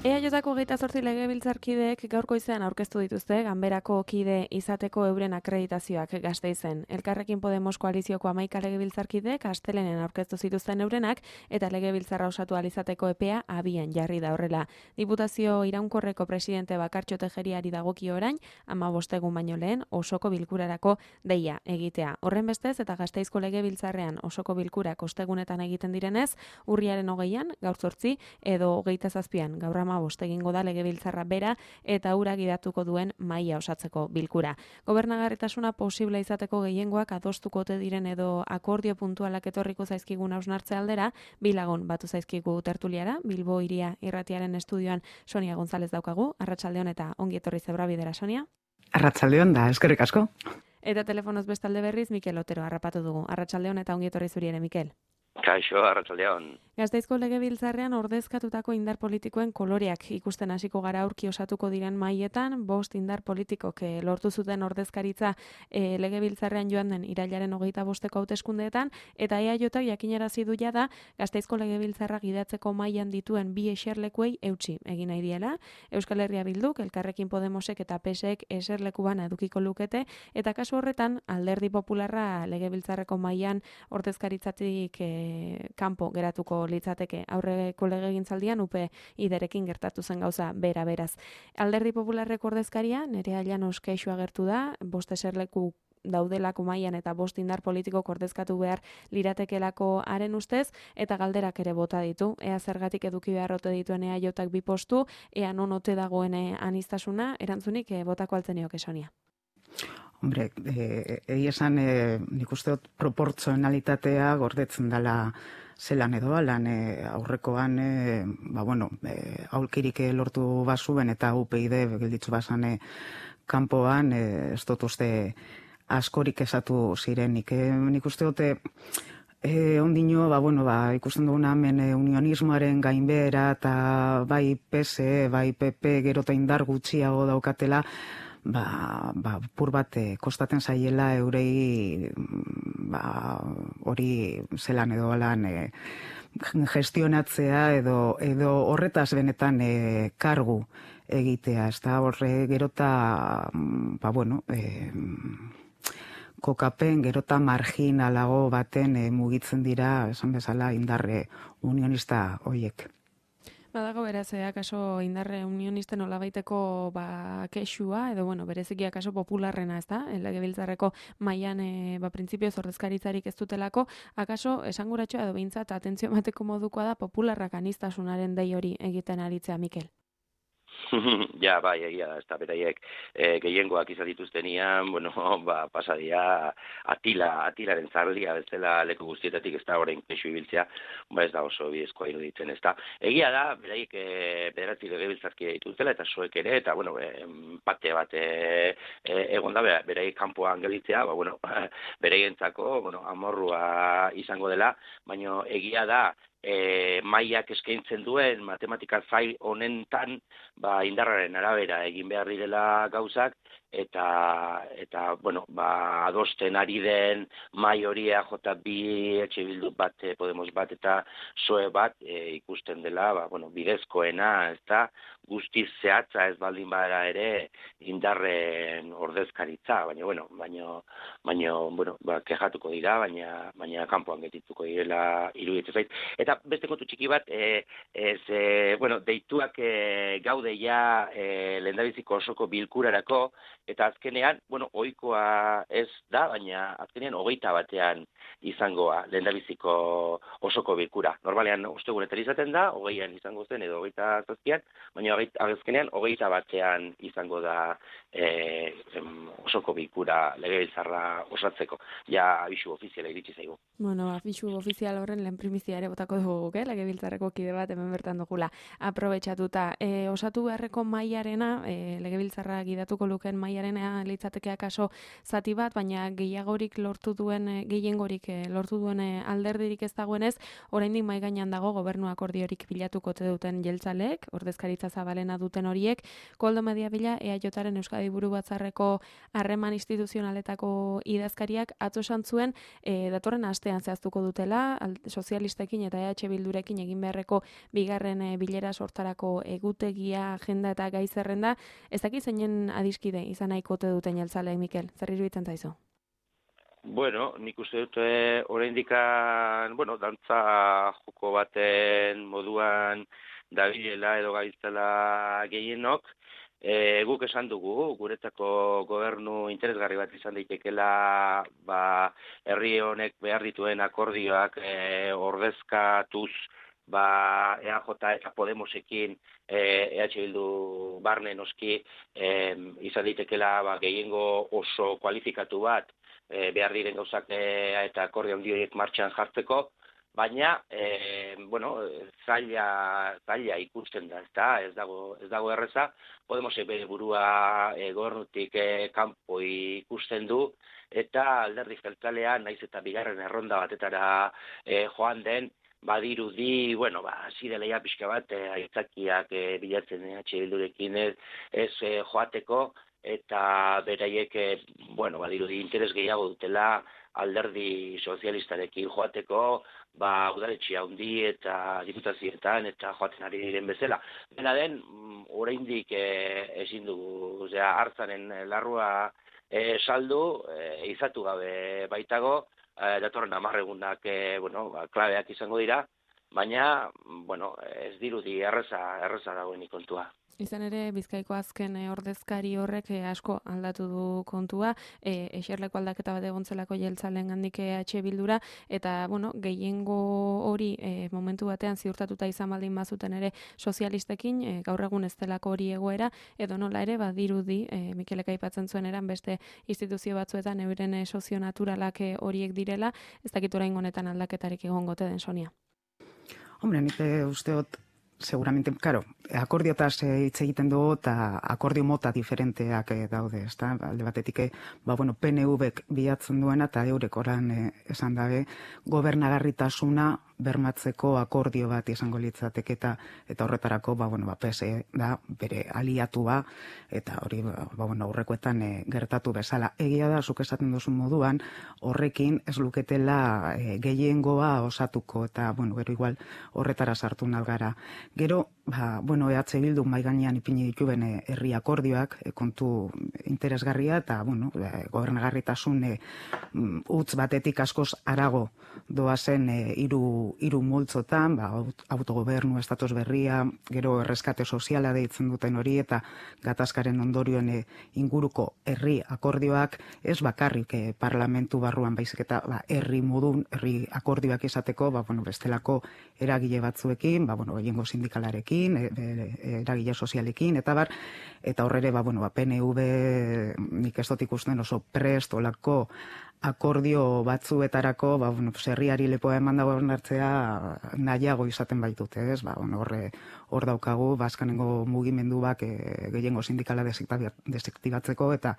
EAJko 28 legebiltzarkideek gaurko goizean aurkeztu dituzte ganberako kide izateko euren akreditazioak Gasteizen. Elkarrekin Podemos koalizioko 11 legebiltzarkideek astelenen aurkeztu zituzten eurenak eta legebiltzarra osatu ahal izateko epea abian jarri da horrela. Diputazio iraunkorreko presidente Bakartxo Tejeriari dagokio orain 15 egun baino lehen osoko bilkurarako deia egitea. Horrenbestez eta Gasteizko legebiltzarrean osoko bilkurak ostegunetan egiten direnez, urriaren 20an, gaur 8 edo 27an, gaur 15 egingo da legebiltzarra bera eta hura gidatuko duen mahaia osatzeko bilkura. Gobernagarritasuna posible izateko gehiengoak adostuko ote diren edo akordio puntualak etorriko zaizkigun hausnartze aldera, bi lagun batu zaizkigu tertuliara, Bilbo Hiria Irratiaren estudioan Sonia González daukagu. Arratsaldeon eta ongi etorri Zebrabidera, Sonia. Arratsaldeon da, eskerrik asko. Eta telefonoz bestalde berriz Mikel Otero harrapatu dugu. Arratsaldeon eta ongi etorri zuri ere, Mikel. Kaixo, arratsaldeon. Gasteizko legebiltzarrean ordezkatutako indar politikoen koloreak ikusten hasiko gara aurki osatuko diren mahaietan, 5 indar politikok lortu zuten ordezkaritza legebiltzarrean joan den irailaren 25eko hauteskundeetan, eta EAJak jakinarazi du jada Gasteizko legebiltzarra gidatzeko mahaian dituen bi eserlekuei eutsi egin nahi diela. Euskal Herria Bilduk, Elkarrekin Podemosek eta PSek eserleku bana edukiko lukete, eta kasu horretan Alderdi Popularra legebiltzarreko mahaian ordezkaritzatik kanpo geratuko litzateke. Aurreko legegintzaldian UPyDrekin gertatu zen gauza bera beraz. Alderdi Popularreko ordezkaria Nerea Llanos kexu agertu da, 5 eserleku daudelako mailan eta 5 indar politikok ordezkatu behar liratekelako haren ustez, eta galderak ere bota ditu. Ea zergatik eduki beharrote dituen EAJak 2 postu, ea non ote dagoen aniztasuna, erantzunik botako altzenioke, Sonia. Hombre, egia esan nik uste dut proportzionalitatea gordetzen dela zelan edo alan aurrekoan, aulkirik lortu bazuen eta UPyD gelditzu bazan kanpoan, ez dut uste askorik esatu zirenik. Nik uste dut ondino, ikusten duguna hemen unionismoaren gainbehera eta bai PSE, bai PP gero eta indar gutxiago daukatela, pur bat kostaten zaiela eurei hori zelan edo alan gestionatzea edo horretaz benetan kargu egitea. Ez da horre gerota kokapen gerota marginalago baten mugitzen dira, esan bezala, indarre unionista hoiek. Badago beraz, akaso indarre unionisten olabaiteko kexua, edo bereziki akaso popularrena, ez da? Legebiltzarreko mailan printzipioz ordezkaritzarik ez dutelako, akaso esanguratxoa edo behintzat atentzio emateko modukoa da popularrak anistasunaren dei hori egiten aritzea, Mikel. Ja, bai, egia da, ez da, beraiek gehiengoak izan dituztenian, pasadia atilaren zarlia bezala leku guztietatik, ez da, orain kexu ibiltzea, ez da oso bidezkoa iruditzen, ez da. Egia da, beraiek bederatzi legebiltzarkide dituztela, eta soek ere, eta, pate bat egon da, beraiek kanpoan gelditzea, beraientzako, amorrua izango dela, baina egia da, mailak eskaintzen duen matematika zai honetan indarraren arabera egin behar direla gauzak, eta adosten ari den mai horia J2, Etxe Bildu bat, Podemos bat eta PSOE bat ikusten dela, bidezkoena, ez da, guztiz zehatza ez baldin bada ere indarren ordezkaritza, baina kexatuko dira, baina kanpoan getituko direla iruditzen zait. Eta beste kontu txiki bat, deituak gaude ja lehendabiziko osoko bilkurarako, eta azkenean, ohikoa ez da, baina azkenean 21 izangoa lehendabiziko osoko bilkura. Normalean ostegunetan izaten da, 20an izango zen edo 27an, baina azkenean 21an izango da osoko bilkura legebiltzarra osatzeko. Ja abisu ofiziala iritsi zaigu. Abisu ofizial horren lehen primizia ere botako dugu, legebiltzarreko kide bat hemen bertan dugula. Aprobetxatuta, osatu beharreko mailarena, legebiltzarra gidatuko luken mailarena litzateke akaso zati bat, baina gehiengorik lortu duen alderdirik ez dagoenez, oraindik mahai gainean dago gobernu akordiorik bilatuko ote duten jeltzaleek, ordezkaritza zabalena duten horiek, Koldo Mediavilla EAJaren Euskadi Buru Batzarreko harreman instituzionaletako idazkariak atzo esan zuen datorren astean zehaztuko dutela, sozialistekin eta EH Bildurekin egin beharreko bigarren bilera sortarako egutegia, agenda eta gai zerrenda. Ez dakit zeinen adiskide izan nahiko ote duten jeltzaleek, Mikel, zer iruditzen zaizu? Bueno, nik uste dut oraindik dantza joko baten moduan dabilela edo gaitzela gehienok. Guk esan dugu, guretzako gobernu interesgarri bat izan daitekela herri honek behar dituen akordioak ordezkatuz EAJ eta Podemosekin EH Bildu barne noski izan daitekela gehiengo oso kualifikatu bat behar diren gauzak eta akordio handi horiek martxan jartzeko. Baina, zaila ikusten da, ez dago erreza. Podemosek bere burua gobernutik kanpo ikusten du, eta alderdi jeltzalea, naiz eta bigarren erronda batetara joan den, badirudi, hasi dela ja pixka bat, aitzakiak bilatzen EH Bildurekin ez joateko, eta beraiek, badirudi interes gehiago dutela alderdi sozialistarekin joateko, udaletxea handi eta diputazioetan eta joaten ari diren bezala. Dena den, oraindik ezin dugu, hartzanen larrua saldu, izatu gabe baitago, datorren 10 egunak klabeak izango dira, baina, ez dirudi erreza dagoenik kontua. Izan ere, Bizkaiko azken ordezkari horrek asko aldatu du kontua, eserleko aldaketa bat egontzelako jeltzalen gandik EH Bildura, eta, gehiengo hori momentu batean ziurtatuta izan baldin bazuten ere sozialistekin, gaur egun ez delako hori egoera, edo nola ere, badirudi, Mikelek aipatzen zuen eran beste instituzio batzuetan euren sozio naturalak horiek direla, ez dakit oraingo honetan aldaketarik egongote den, Sonia. Hombre, nik usteot, seguramente, akordiotaz hitz egiten dugu eta akordio mota diferenteak daude, ezta? Alde batetik, PNV-ek bilatzen duena eta eurek oran esan dabe, gobernagarritasuna bermatzeko akordio bat izango litzateke eta horretarako, PSE da bere aliatua eta hori, aurrekoetan gertatu bezala. Egia da, zuk esaten duzun moduan, horrekin ez luketela gehiengoa osatuko eta, gero igual horretara sartu nalgara. Gero, EH Bildu mahai gainean ipini dituen herri akordioak, kontu interesgarria eta, gobernagarritasun utz batetik askoz arago doazen hiru multzotan, autogobernu, estatus berria, gero erreskate soziala deitzen duten hori eta gatazkaren ondorioen inguruko herri akordioak ez bakarrik parlamentu barruan baizik eta herri modun, herri akordioak izateko, bestelako eragile batzuekin, gehiengo sindikalarekin, eragile sozialekin, eta horre ere, PNV nik ez dut ikusten oso prest olako akordio batzuetarako, herriari lepoa eman dago hartzea nahiago izaten baitute, ez? Hor daukagu, azkenengo mugimenduak gehiengo sindikala desektibatzeko, eta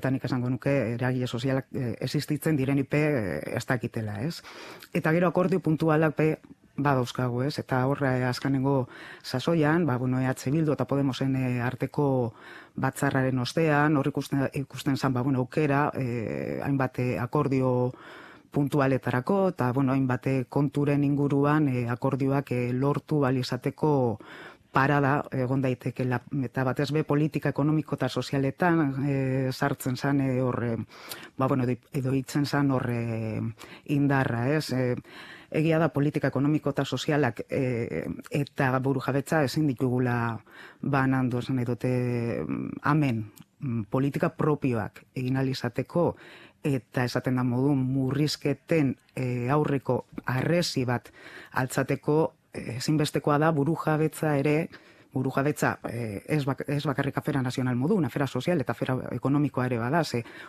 nik esango nuke eragile sozialak existitzen direnipe ez dakitela, ez? Eta gero akordio puntualak badauzkagu, ez? Eta horre azkenengo sasoian, EH Bildu eta Podemosen arteko batzarraren ostean, hor ikusten zan, aukera, hainbat akordio puntualetarako, eta, hainbat konturen inguruan akordioak lortu balizateko parada egon daitekela, eta batez be politika ekonomiko eta sozialetan sartzen zan horre, edo hitzen zan horre indarra, ez? Egia da politika ekonomiko eta sozialak eta burujabetza ezin ditugula banandu, esan nahi dute hemen politika propioak egin ahal izateko eta esaten da modu murrizketen aurreko harresi bat altzateko ezinbestekoa da burujabetza ere, ez bakarrik afera nazional modun, afera sozial eta afera ekonomikoa ere bada,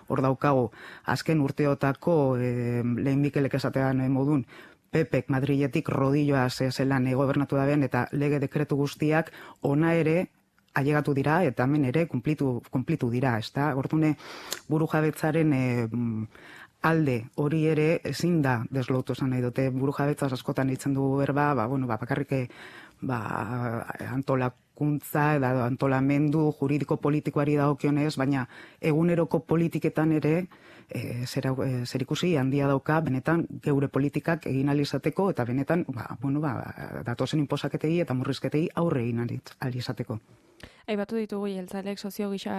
hor daukago azken urteotako lehen Mikelek esatean modun Pepek Madriletik rodilloa zelan gobernatu da ben, eta lege dekretu guztiak ona ere ailegatu dira, eta hemen ere kumplitu dira, ezta? Ordune burujabetzaren alde hori ere ezin da deslotu esan nahi dute, burujabetzaz askotan hitzen dugu berba, bakarrik antolakuntza edo antolamendu juridiko politikoari dagokionez, baina eguneroko politiketan ere zerikusi handia dauka benetan geure politikak egin ahal izateko, eta benetan datozen inposaketei eta murrizketei aurre egin ahal izateko. Aipatu ditugu jeltzaleek sozio gisa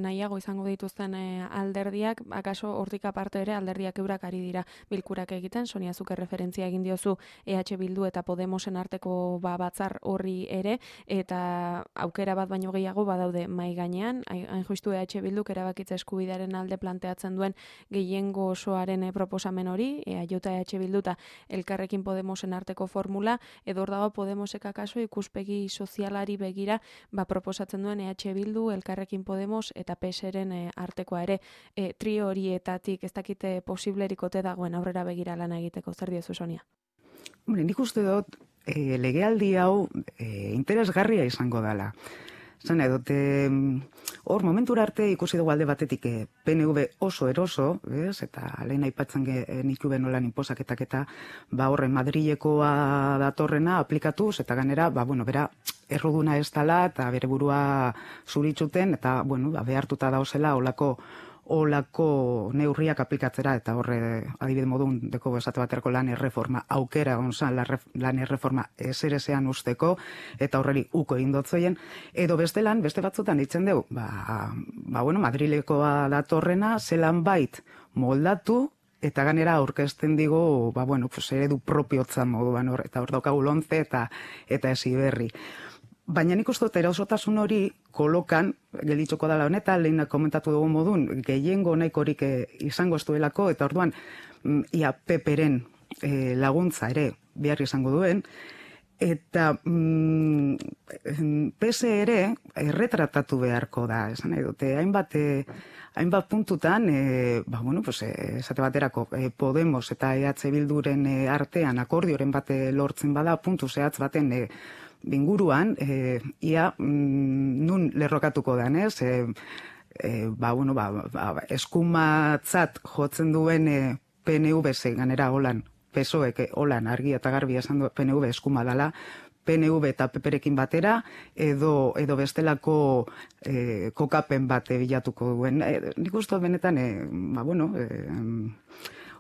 nahiago izango dituzten alderdiak, akaso hortik aparte ere alderdiak eurak ari dira bilkurak egiten, Sonia zuk referentzia egin diozu EH Bildu eta Podemosen arteko batzar horri ere, eta aukera bat baino gehiago badaude mai gainean, hain justu EH Bilduk erabakitza eskubidearen alde planteatzen duen gehiengo osoaren proposamen hori, EH Bildu eta Elkarrekin Podemosen arteko formula, edo hor dago Podemosek akaso ikuspegi sozialari begira proposatzen duen EH Bildu, Elkarrekin Podemos eta PSren artekoa ere, trio horietatik ez dakite posiblerikote dagoen aurrera begira lana egiteko, zer diozu, Sonia? Nik uste dut legealdi hau interesgarria izango dela. Zan edot, hor momentura arte ikusi dugu alde batetik PNV oso eroso, eta lehen aipatzen nituen nolan inposaketak eta horren Madrilekoa datorrena aplikatuz, eta ganera, bera erruduna ez dela, eta bere burua zuritzuten, eta behartuta dauzela olako neurriak aplikatzera, eta horre adibide modun deko esate baterako lan erreforma aukera onzan lan erreforma ezerezean usteko, eta horreri uko egin dotzoien, edo beste batzutan ditzen dugu, Madrilekoa datorrena zelan bait moldatu, eta ganera aurkezten digu, eredu propiotzan moduan, eta hor daukagu Lonce eta Heziberri. Baina nik uste dut erasotasun hori kolokan, gelditzoko dela honetan, lehen komentatu dugu modun, gehiengo nahikorik izango ez duelako, eta orduan, ia Peperen laguntza ere behar izango duen, eta PS ere erretratatu beharko da, esan nahi dute, hainbat puntutan, esate baterako, Podemos eta EH Bilduren artean akordioren bate lortzen bada, puntu zehatz baten binguruan, ia nun lerrokatuko den, ez? Eskumatzat jotzen duen PNV ganera holan, PSOEk holan argi eta garbi esan du PNV eskuma dela, PNV eta PPrekin batera, edo bestelako kokapen bat bilatuko duen. Nik uste benetan,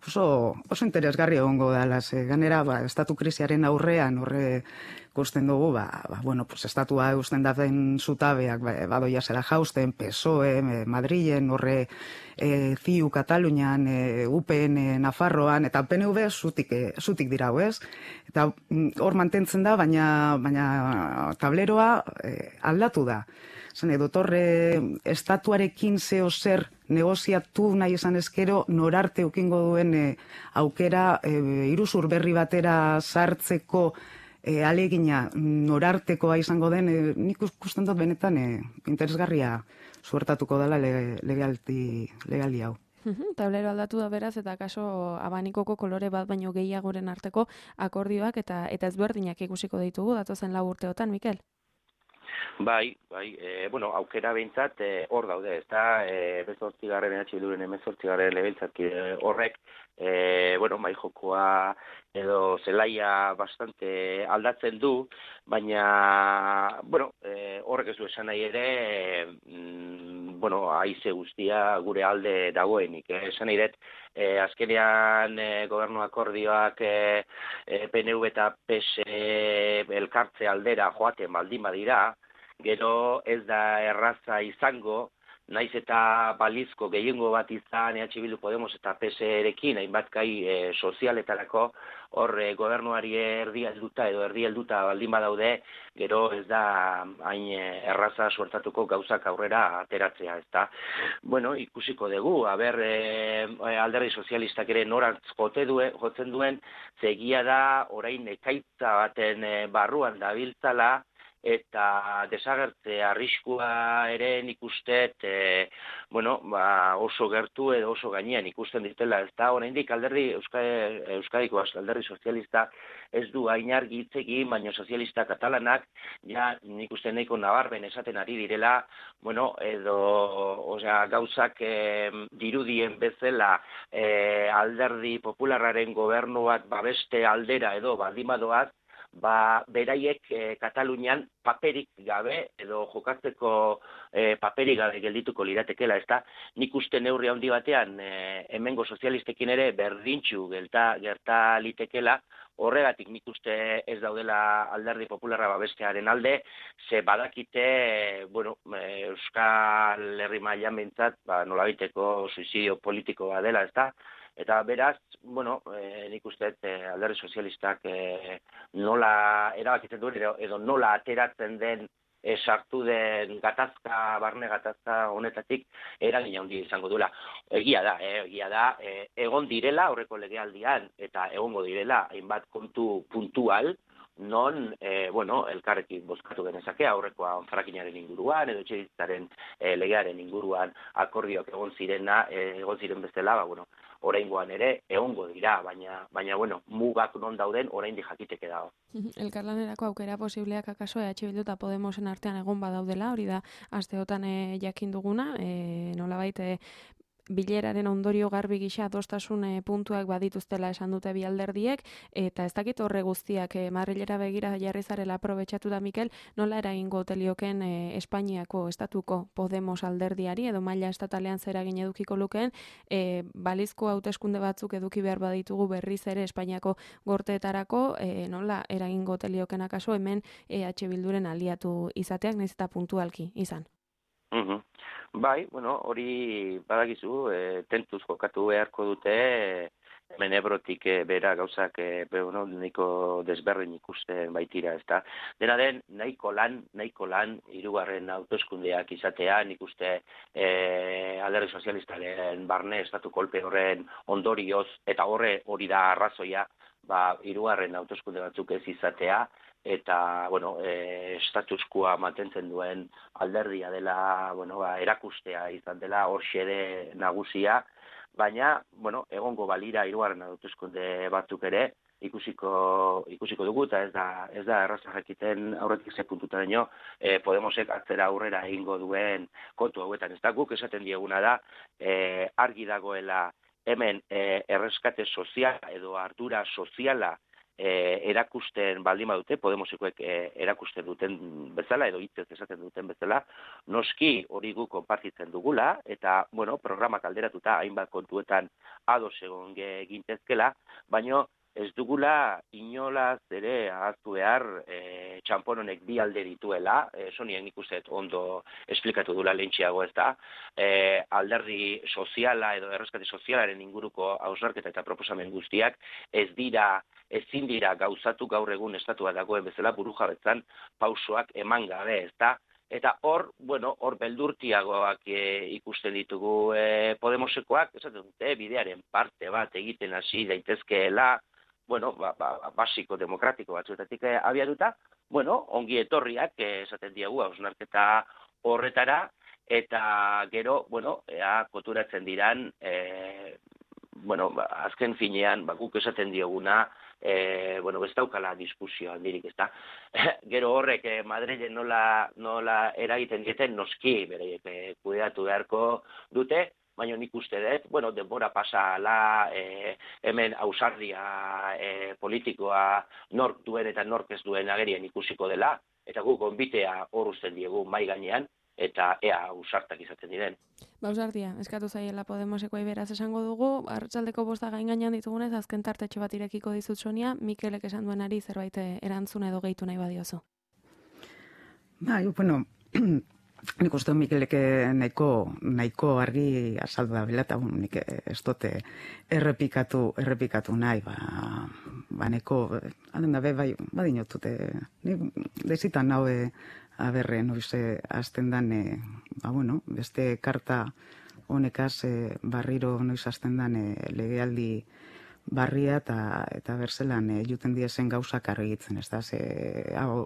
oso interesgarri egongo dela, ganera, estatu krisiaren aurrean, horre ikusten dugu, estatua eusten daten zutabeak, badoia zela jausten, PSOE, Madrilen, horre CiU Katalunian, UPN Nafarroan, eta PNV zutik dira, ez? Eta hor mantentzen da, baina tableroa aldatu da. Zene, dotorre, estatuarekin zeo zer negoziatu nahi esan ezkero, norarte ukingo duen aukera iruzur berri batera sartzeko alegina norartekoa izango den, nik ikusten dut benetan interesgarria suertatuko dela legaldi hau. Tablero aldatu da beraz, eta kaso abanikoko kolore bat baino gehiagoren arteko akordioak eta ezberdinak ikusiko ditugu datozen 4 urteotan, Mikel? Bai, aukera behintzat hor daude, ez da, 18. EH Bilduren 18. legebiltzarkide horrek, bai jokoa edo zelaia bastante aldatzen du, baina, horrek ez du esan nahi ere, haize guztia gure alde dagoenik. Esan nahi dut, azkenean gobernu akordioak PNV eta PS elkartze aldera joaten baldin badira, gero ez da erraza izango, naiz eta balizko gehiengo bat izan EH Bildu Podemos eta PSrekin, hainbat gai sozialetarako, hor gobernuari erdi helduta baldin badaude, gero ez da hain erraza suertatuko gauzak aurrera ateratzea, ezta. Ikusiko dugu, alderdi sozialistak ere norantz jotzen duen, zegia da orain ekaitza baten barruan dabiltzala, eta desagertze arriskua ere nik usteet, oso gertu edo oso gainean ikusten ditela, ez da, oraindik Euskadiko alderdi sozialista ez du hain argi hitz egin, baina sozialista katalanak, ja nik uste nahiko nabarmen esaten ari direla, gauzak dirudien bezala alderdi popularraren gobernuak babeste aldera edo baldimadoaz, beraiek Katalunian paperik gabe edo jokatzeko paperik gabe geldituko liratekela, ezta? Nik uste neurri handi batean hemengo sozialistekin ere berdintxu gerta litekela, horregatik nik uste ez daudela alderdi popularra babestearen alde, ze badakite, Euskal Herri mailan behintzat, nolabaiteko suizidio politiko dela, ezta? Eta beraz, nik uste alderdi sozialistak nola erabakitzen duen edo nola ateratzen den sartu den barne gatazka honetatik eragina handia izango duela. Egia da, egon direla aurreko legealdian eta egongo direla hainbat kontu puntual, non, elkarrekin bozkatu genezake aurrekoa frackingaren inguruan edo etxebizitzaren legearen inguruan akordioak egon ziren bezala, oraingoan ere egongo dira, baina mugak non dauden oraindik jakiteke dago. Elkarlanerako aukera posibleak akaso EH Bildu eta Podemosen artean egon badaudela, hori da asteotan jakin duguna, nolabait bileraren ondorio garbi gisa adostasun puntuak badituztela esan dute bi alderdiek, eta ez dakit horre guztiak Madrilera begira jarri zarela aprobetxatu da, Mikel, nola eragingo telioken Espainiako estatuko Podemos alderdiari edo maila estatalean zer eragin edukiko lukeen, balizko hauteskunde batzuk eduki behar baditugu berriz ere Espainiako gorteetarako, nola eragingo telioken akaso hemen EH Bilduren aliatu izateak, nahiz eta puntualki izan. Bai, hori badakizu, tentuz jokatu beharko dute, hemen Ebrotik bera gauzak nahiko desberdin ikusten baitira, ezta. Dena den, nahiko lan, hirugarren hauteskundeak izatea, nik uste alderdi sozialistaren barne estatu kolpe horren ondorioz, eta hori da arrazoia, hirugarren hauteskunde batzuk ez izatea, eta, estatuskua mantentzen duen alderdia dela, erakustea izan dela, hor xede nagusia, baina, egongo balira hirugarren hauteskunde batzuk ere, ikusiko dugu, eta ez da erraza jakiten aurretik ze puntutaino Podemosek atzera aurrera egingo duen kontu hauetan. Ez da, guk esaten dieguna da, argi dagoela hemen erreskate soziala edo ardura soziala erakusten baldin badute, Podemosekoek erakusten duten bezala, edo hitzez esaten duten bezala, noski hori guk konpartitzen dugula, eta, programak alderatuta hainbat kontuetan ados egon gintezkela, baina ez dugula inolaz ere ahaztu behar txanpon honek bi alde dituela, sonien ikuset ondo esplikatu dula lehentxeago, ez da, alderdi soziala edo erreskate sozialaren inguruko hausnarketa eta proposamen guztiak ezin dira gauzatu gaur egun estatua dagoen bezala burujabetzan pausoak eman gabe, ez da, eta hor beldurtiagoak ikusten ditugu Podemosekoak, esaten dute, bidearen parte bat egiten hasi daitezkeela, basiko demokratiko batzuetatik abiatuta, ongi etorriak esaten diegu hausnarketa horretara, eta gero, koturatzen diran, azken finean, guk esaten dioguna, ez daukala diskusio handirik, ez da. Gero horrek Madrilen nola eragiten dieten, noski bereiek kudeatu beharko dute, baina nik uste dut, denbora pasala, hemen ausardia politikoa nork duen eta nork ez duen agerien ikusiko dela, eta guk gonbitea hor uzten diegu mai gainean, eta ea ausartak izaten diren. Ausardia, eskatu zaiela Podemosekoei beraz esango dugu, arratsaldeko 5 gain gainean ditugunez, azken tartetxo bat irekiko dizut Sonia, Mikelek esan duenari zerbait erantzun edo gehitu nahi badiozu. Nik uste Mikelek nahiko argi azaldu da bila, eta nik ez dute errepikatu nahi, nahiko, alden da badinotute, dezitan hau aberre noize azten dan, beste karta honekaz barriro noiz azten dan legealdi barria eta berzelan juten diezen gauzak argitzen, ez da,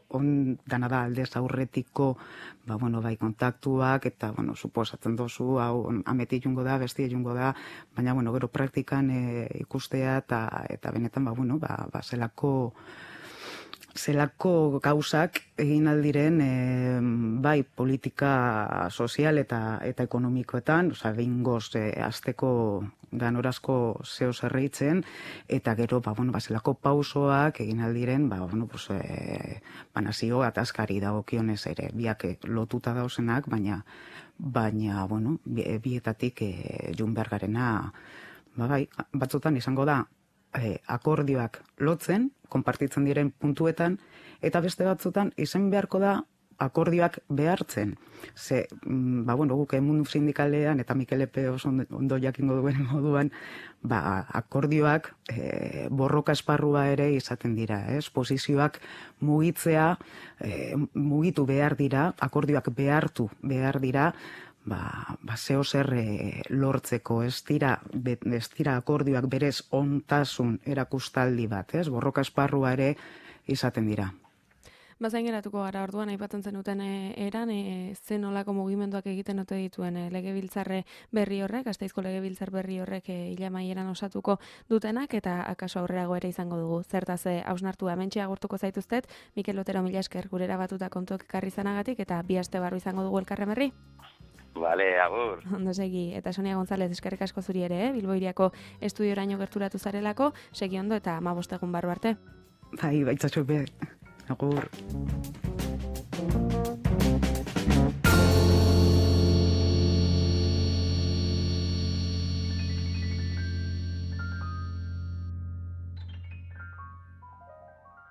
on dana da aldez aurretiko, bai kontaktuak, eta, suposatzen dozu, hau ameti jungo da, besti jungo da, baina, gero praktikan ikustea, eta benetan, zelako gauzak egin aldiren bai politika sozial eta ekonomikoetan, behingoz azteko ganorazko zeo zerreitzen, eta gero, zelako pausoak egin aldiren, nazio atazkari dagokionez ere, biak lotuta dauzenak, baina, bietatik jun behar garena, batzutan izango da, akordioak lotzen, konpartitzen diren puntuetan, eta beste batzutan izan beharko da akordioak behartzen. Ze, guk mundu sindikalean, eta Mikel Epe oso ondo jakingo duen moduan, akordioak borroka esparrua ere izaten dira. Posizioak mugitu behar dira, akordioak behartu behar dira, zeo zer lortzeko, ez dira akordioak berez ontasun erakustaldi bat, borroka esparrua ere izaten dira. Bazain geratuko gara orduan, aipatzen zenuten eran, zen olako mugimenduak egiten ote dituen legebiltzarre berri horrek, Gasteizko legebiltzar berri horrek hilamaieran osatuko dutenak, eta akaso aurrerago ere izango dugu. Zertaz hausnartu hementxe agurtuko zaituztet, Mikel Otero mila esker gurera batuta kontuak ekarri zanagatik, eta bi aste barru izango dugu elkarren berri. Vale, agur. Ondo segi, eta Sonia González eskerrik asko zuri ere, Bilbo Hiriako estudioraino gerturatu zarelako, segi ondo eta 15 egun barru arte. Baitzazu be, agur.